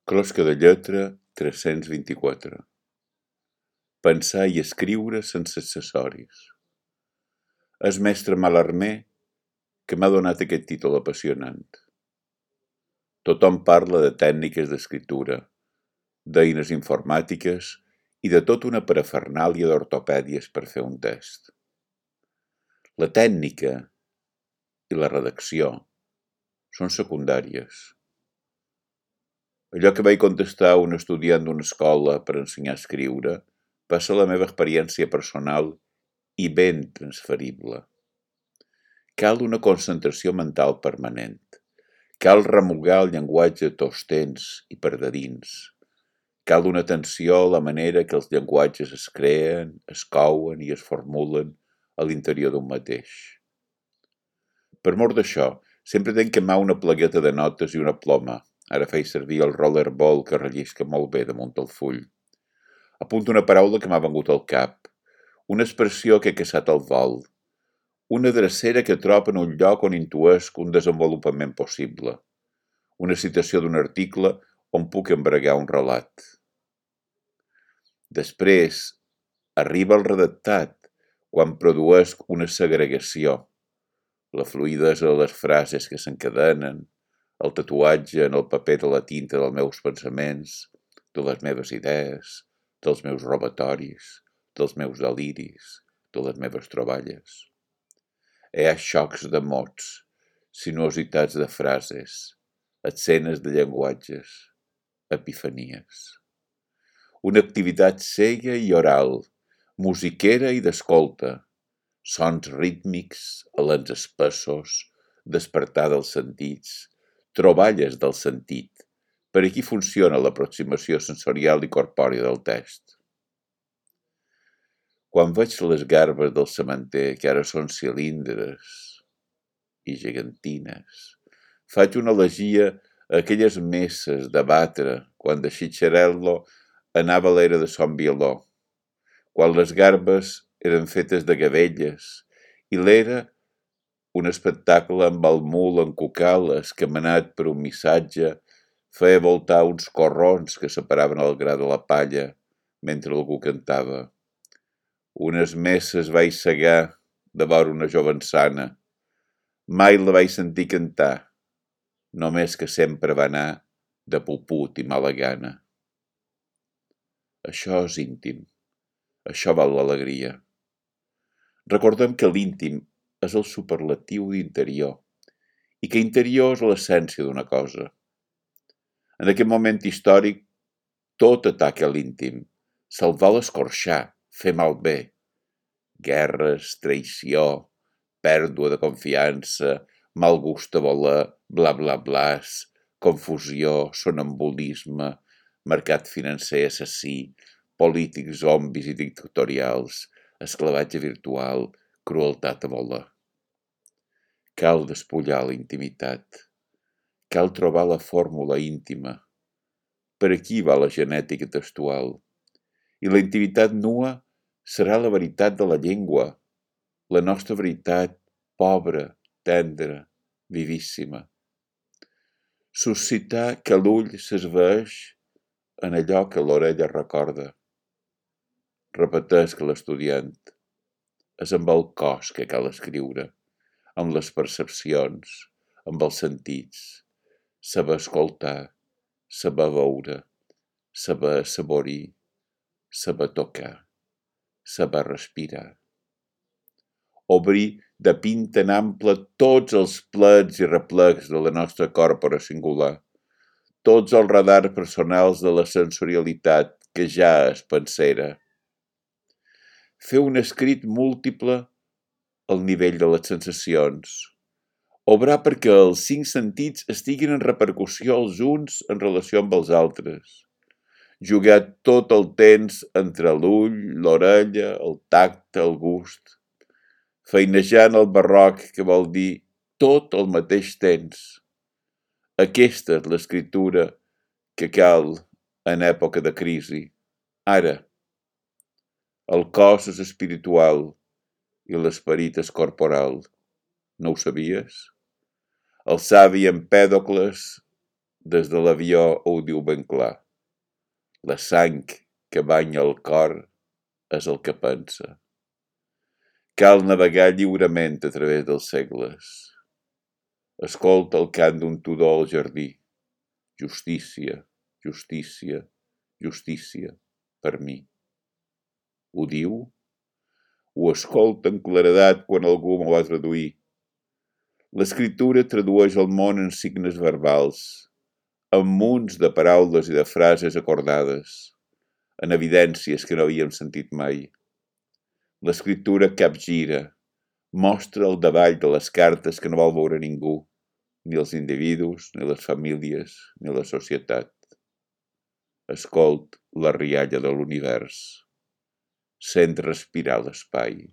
Closca de lletra 324. Pensar i escriure sense accessoris. És mestre Mallarmé que m'ha donat aquest títol apassionant. Tothom parla de tècniques d'escriptura, d'eines informàtiques i de tota una parafernàlia d'ortopèdies per fer un test. La tècnica i la redacció són secundàries. Allò que vaig contestar a un estudiant d'una escola per ensenyar a escriure va ser la meva experiència personal i ben transferible. Cal una concentració mental permanent. Cal remugar el llenguatge tostens i perdedins. Cal una atenció a la manera que els llenguatges es creen, es couen i es formulen a l'interior d'un mateix. Per mort d'això, sempre tenc que mà una plagueta de notes i una ploma. Ara faig servir el rollerball que rellisca molt bé damunt el full. Apunto una paraula que m'ha vengut al cap, una expressió que he caçat al vol, una drecera que trobo en un lloc on intuesc un desenvolupament possible, una citació d'un article on puc embregar un relat. Després arriba el redactat, quan produeix una segregació, la fluïdesa de les frases que s'encadenen, el tatuatge en el paper de la tinta dels meus pensaments, de les meves idees, dels meus robatoris, dels meus deliris, de les meves troballes. Hi ha xocs de mots, sinuositats de frases, escenes de llenguatges, epifanies. Una activitat cega i oral, musiquera i d'escolta, sons rítmics, alens espessos, despertar dels sentits, troballes del sentit. Per aquí funciona l'aproximació sensorial i corpòria del text. Quan veig les garbes del sementer, que ara són cilindres i gegantines, faig una elegia a aquelles messes de batre quan de Cicciarello anava a l'era de son Violó, quan les garbes eren fetes de gavelles i l'era un espectacle amb el mul en cucales que, menat per un missatge, feia voltar uns corrons que separaven el gra de la palla mentre algú cantava. Unes messes vaig segar de vora una jovençana. Mai la vaig sentir cantar, només que sempre va anar de puput i mala gana. Això és íntim. Això val l'alegria. Recordem que l'íntim és el superlatiu d'interior i que interior és l'essència d'una cosa. En aquest moment històric, tot ataca l'íntim, se'l vol escorxar, fer malbé. Guerres, traïció, pèrdua de confiança, mal gust a voler, bla bla blas, confusió, sonambulisme, mercat financer assassí, polítics zombis i dictatorials, esclavatge virtual, crueltat a voler. Cal despullar la intimitat. Cal trobar la fórmula íntima. Per aquí va la genètica textual. I la intimitat nua serà la veritat de la llengua, la nostra veritat pobra, tendra, vivíssima. Suscitar que l'ull s'esvaeix en allò que l'orella recorda. Repeteix que l'estudiant és amb el cos que cal escriure, amb les percepcions, amb els sentits, saber escoltar, saber veure, saber assaborir, saber tocar, saber respirar. Obrir de pinta en ample tots els plecs i replecs de la nostra còrpora singular, tots els radars personals de la sensorialitat que ja és pensera. Fer un escrit múltiple al nivell de les sensacions. Obrar perquè els 5 sentits estiguin en repercussió els uns en relació amb els altres. Jugar tot el temps entre l'ull, l'orella, el tacte, el gust. Feinejant el barroc, que vol dir tot al mateix temps. Aquesta és l'escriptura que cal en època de crisi. Ara, el cos és espiritual i l'esperit és corporal. No ho sabies? El savi Empèdocles Des de l'avió ho diu ben clar. La sang que banya el cor és el que pensa. Cal navegar lliurement a través dels segles. Escolta el cant d'un tudor al jardí. Justícia, justícia, justícia, per mi. Ho diu? Ho escolta amb claredat quan algú m'ho va traduir. L'escriptura tradueix el món en signes verbals, en munts de paraules i de frases acordades, en evidències que no havíem sentit mai. L'escriptura capgira, mostra el davall de les cartes que no vol veure ningú, ni els individus, ni les famílies, ni la societat. Escolt la rialla de l'univers. Sent respirar l'espai.